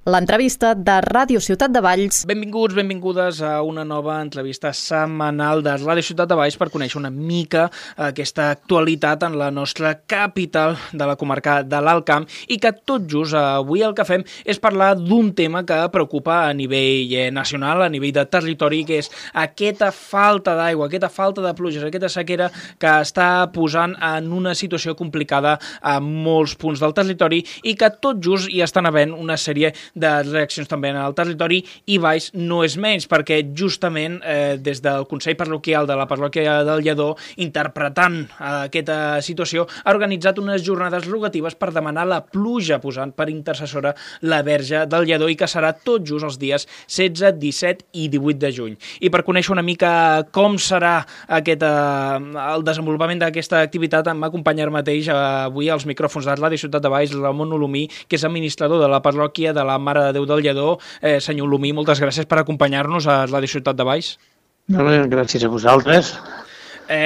l'entrevista de Ràdio Ciutat de Valls. Benvinguts, benvingudes a una nova entrevista setmanal de Ràdio Ciutat de Valls per conèixer una mica aquesta actualitat en la nostra capital de la comarca de l'Alt Camp i que tot just avui el que fem és parlar d'un tema que preocupa a nivell nacional, a nivell de territori, que és aquesta falta d'aigua, aquesta falta de pluges, aquesta sequera que està posant en una situació complicada a molts punts del territori i que tot just hi estan havent una sèrie de reaccions també en el territori i Valls no és menys, perquè justament des del Consell Parroquial de la Parròquia del Lledó, interpretant aquesta situació, ha organitzat unes jornades rogatives per demanar la pluja, posant per intercessora la Verge del Lledó i que serà tot just els dies 16, 17 i 18 de juny. I per conèixer una mica com serà el desenvolupament d'aquesta activitat m'acompanya ara mateix avui als micròfons de Ràdio Ciutat de Valls Ramon Olomí, que és administrador de la parròquia de la Mare de Déu del Lledó. Senyor Olomí, moltes gràcies per acompanyar-nos a Ràdio Ciutat de Valls. Gràcies a vosaltres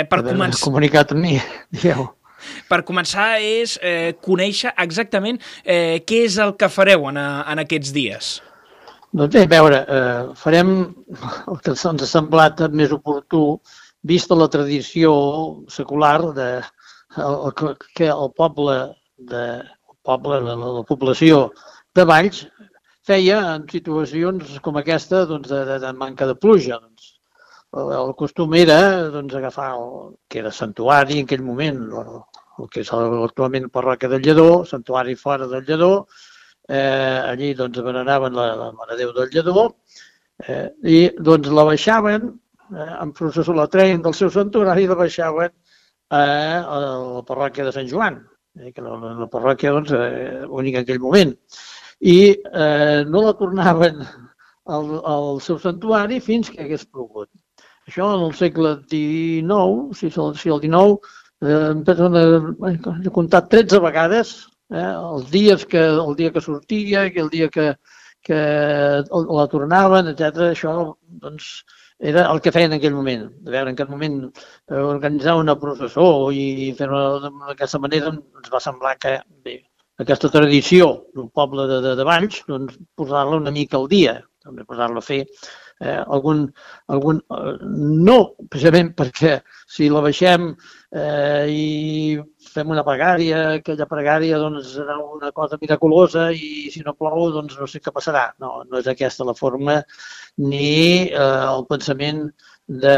per comunicat amb mi. Digueu. Per començar és conèixer exactament què és el que fareu en aquests dies. Doncs bé, a veure, farem el que ens ha semblat més oportú, vista la tradició secular que el poble, la població de Valls, feia en situacions com aquesta de manca de pluja. El costum era agafar el que era santuari en aquell moment, el que és actualment Parròquia del Lledó, santuari fora del Lledó, allí veneraven la Mare de Déu del Lledó i la baixaven, en processó la treien del seu santuari i la baixaven a la Parròquia de Sant Joan, que era la parròquia única en aquell moment. I no la tornaven al seu santuari fins que hagués plogut. Això en el segle XIX, si el XIX, he comptat 13 vegades, el dia que sortia, el dia que la tornaven, etc. Això era el que feien en aquell moment. A veure, en aquell moment organitzar una processó i fer-ho d'aquesta manera ens va semblar que, bé, aquesta tradició del poble de Valls, posar-la una mica al dia, també posar-la a fer no precisament perquè si la baixem i fem una pregària, aquella pregària serà una cosa miraculosa i si no plou no sé què passarà. No és aquesta la forma ni el pensament de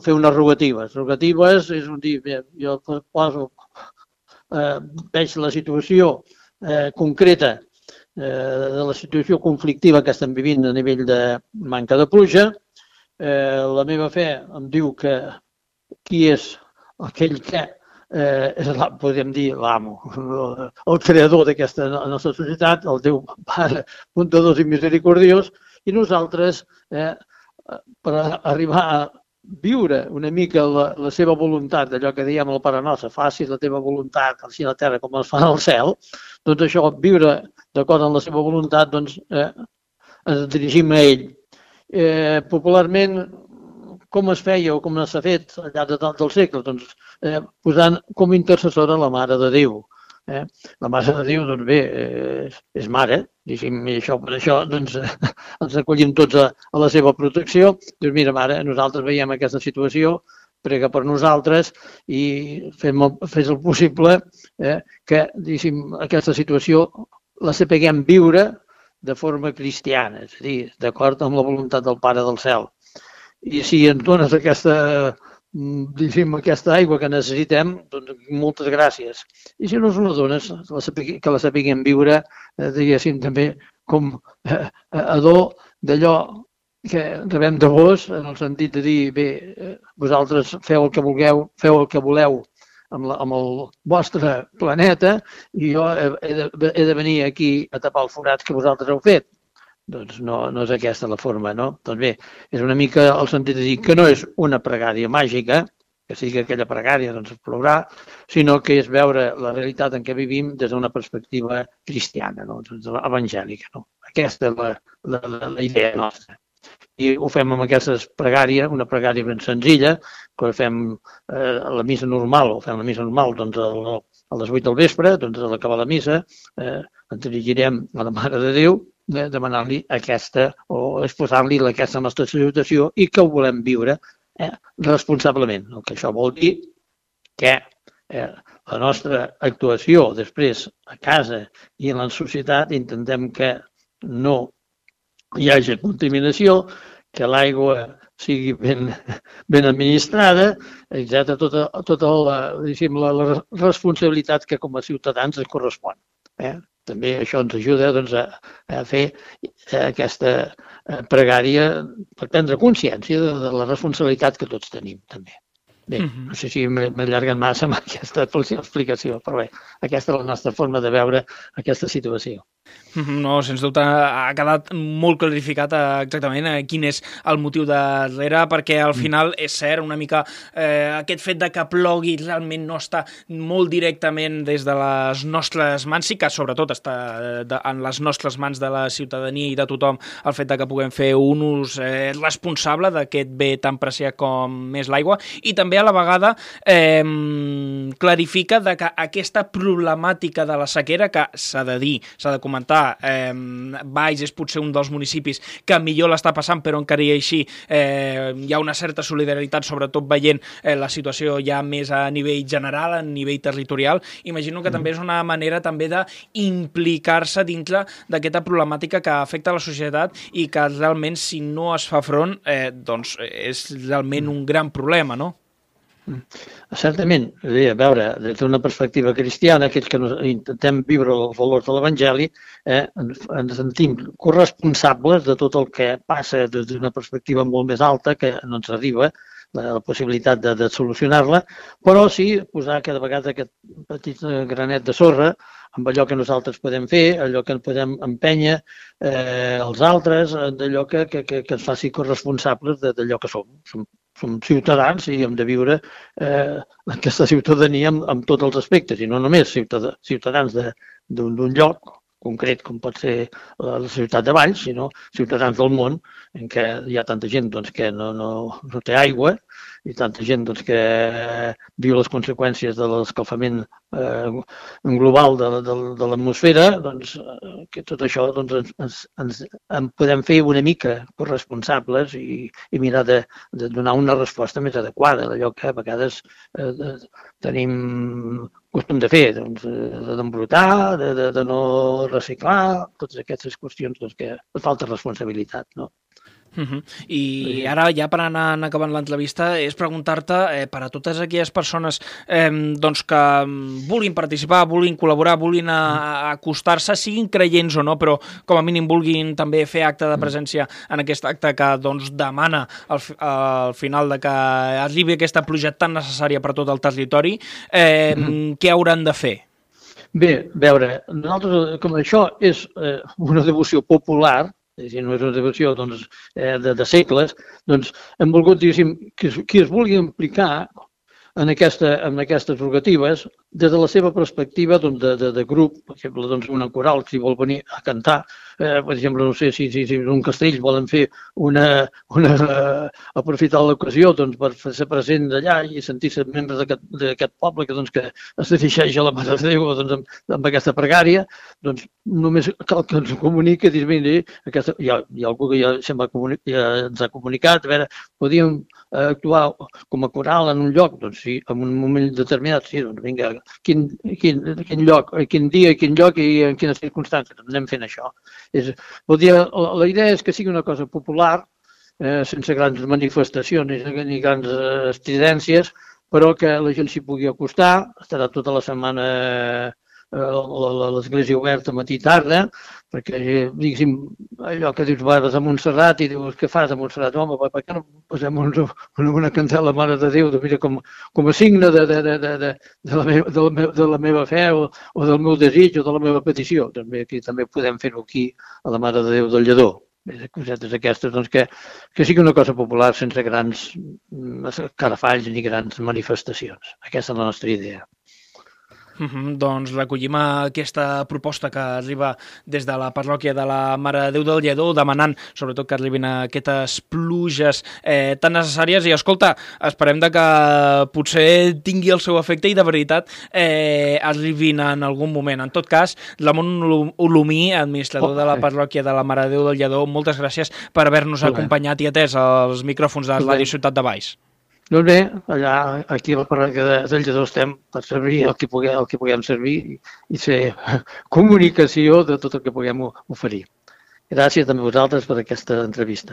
fer unes rogatives. Rogatives és un dir, jo poso veig la situació concreta de la situació conflictiva que estem vivint a nivell de manca de pluja. La meva fe em diu que qui és aquell que és, podríem dir, l'amo, el creador d'aquesta nostra societat, el Déu Pare, bondadós i misericordiós, i nosaltres, per arribar a viure una mica la seva voluntat, d'allò que diem al Pare Nostre, faci la teva voluntat, així a la terra com es fa al cel, doncs això, viure d'acord amb la seva voluntat, ens dirigim a ell. Popularment, com es feia o com s'ha fet al llarg del segle? Posant com a intercessora la Mare de Déu. La Mare de Déu, bé, és mare, diguem, i per això ens acollim tots a la seva protecció. Dius, mira, Mare, nosaltres veiem aquesta situació, prega per nosaltres i fes el possible que, diguem, aquesta situació la sapiguem viure de forma cristiana, és a dir, d'acord amb la voluntat del Pare del Cel. I si ens dones aquesta aigua que necessitem, doncs moltes gràcies. I si no ens la dones, que la sapiguem viure, diguéssim, també com a do d'allò que rebem de vos, en el sentit de dir, bé, vosaltres feu el que vulgueu, feu el que voleu amb el vostre planeta i jo he de venir aquí a tapar els forats que vosaltres heu fet. Doncs no és aquesta la forma, no? Doncs bé, és una mica el sentit de dir que no és una pregària màgica, que sigui aquella pregària, doncs plourà, sinó que és veure la realitat en què vivim des d'una perspectiva cristiana, evangèlica. Aquesta és la idea nostra. I ho fem amb aquesta pregària, una pregària ben senzilla, que fem a la missa normal, a les 8 del vespre, a l'acabar la missa, ens dirigirem a la Mare de Déu, demanar-li aquesta o exposar-li aquesta nostra situació i que ho volem viure responsablement. El que això vol dir que la nostra actuació després a casa i en la societat intentem que no hi hagi contaminació, que l'aigua sigui ben administrada, etc. Tota la responsabilitat que com a ciutadans ens correspon. També això ens ajuda a fer aquesta pregària per prendre consciència de la responsabilitat que tots tenim també. Bé, no sé si m'he allargat massa amb aquesta explicació, però bé, aquesta és la nostra forma de veure aquesta situació. No, sens dubte ha quedat molt clarificat exactament quin és el motiu darrere, perquè al final és cert una mica aquest fet de que plogui realment no està molt directament des de les nostres mans, sí que sobretot està en les nostres mans de la ciutadania i de tothom el fet de que puguem fer un ús responsable d'aquest bé tan preciat com és l'aigua, i també a la vegada clarifica de que aquesta problemàtica de la sequera, que s'ha de dir, s'ha de comentar, Valls és potser un dels municipis que millor l'està passant, però encara i així hi ha una certa solidaritat, sobretot veient la situació ja més a nivell general, a nivell territorial. Imagino que també és una manera també d'implicar-se dintre d'aquesta problemàtica que afecta la societat i que realment, si no es fa front, doncs és realment un gran problema, no? Certament, a veure, des d'una perspectiva cristiana, aquells que intentem viure els valors de l'Evangeli, ens sentim corresponsables de tot el que passa des d'una perspectiva molt més alta, que no ens arriba la possibilitat de solucionar-la, però sí posar cada vegada aquest petit granet de sorra amb allò que nosaltres podem fer, allò que podem empènyer els altres, d'allò que ens faci corresponsables d'allò que som. Som ciutadans i hem de viure aquesta ciutadania amb tots els aspectes, i no només ciutadans d'un lloc concret com pot ser la ciutat de Valls, sinó ciutadans del món en què hi ha tanta gent que no té aigua i tanta gent que viu les conseqüències de l'escalfament global de l'atmosfera, que tot això ens podem fer una mica corresponsables i mirar de donar una resposta més adequada d'allò que a vegades tenim costum de fer, d'embrutar, de no reciclar, totes aquestes qüestions que falta responsabilitat, no? I ara, ja per anar acabant l'entrevista, és preguntar-te per a totes aquelles persones que vulguin participar, vulguin col·laborar, vulguin acostar-se, siguin creients o no, però com a mínim vulguin també fer acte de presència en aquest acte que demana al final de que arribi aquesta pluja tan necessària per tot el territori, què hauran de fer? Bé, a veure, nosaltres, com això és una devoció popular, és a dir, no és una devoció de segles, hem volgut, diguéssim, qui es vulgui implicar en aquestes prerrogatives, des de la seva perspectiva de grup, per exemple, una coral, si vol venir a cantar, per exemple, no sé si en un castell volen fer aprofitar l'ocasió per ser present d'allà i sentir-se membres d'aquest poble que es dirigeix a la Mare de Déu amb aquesta pregària, només cal que ens comuniqui, dir, mira, hi ha algú que ja ens ha comunicat, a veure, podíem actuar com a coral en un lloc, sí, en un moment determinat, sí, vinga, quin lloc, quin dia, quin lloc i en quines circumstàncies, anem fent això. La idea és que sigui una cosa popular, sense grans manifestacions ni grans estridències, però que la gent s'hi pugui acostar. Estarà tota la setmana l'església oberta matí i tarda, perquè, diguéssim, allò que dius, vas a Montserrat i dius, què fas a Montserrat? Home, per què no posem una candela a la Mare de Déu com a signe de la meva fe o del meu desig o de la meva petició? També podem fer-ho aquí a la Mare de Déu del Lledó. Cosetes aquestes, que sigui una cosa popular sense grans carafalls ni grans manifestacions. Aquesta és la nostra idea. Doncs recollim aquesta proposta que arriba des de la parròquia de la Mare de Déu del Lledó, demanant sobretot que arribin aquestes pluges tan necessàries, i escolta, esperem que potser tingui el seu efecte i de veritat arribin en algun moment. En tot cas, Ramon Olomí, administrador de la parròquia de la Mare de Déu del Lledó, moltes gràcies per haver-nos acompanyat i atès als micròfons de Ràdio Ciutat de Valls. Doncs bé, aquí a la parròquia del Lledó estem per servir el que puguem servir i fer comunicació de tot el que puguem oferir. Gràcies també a vosaltres per aquesta entrevista.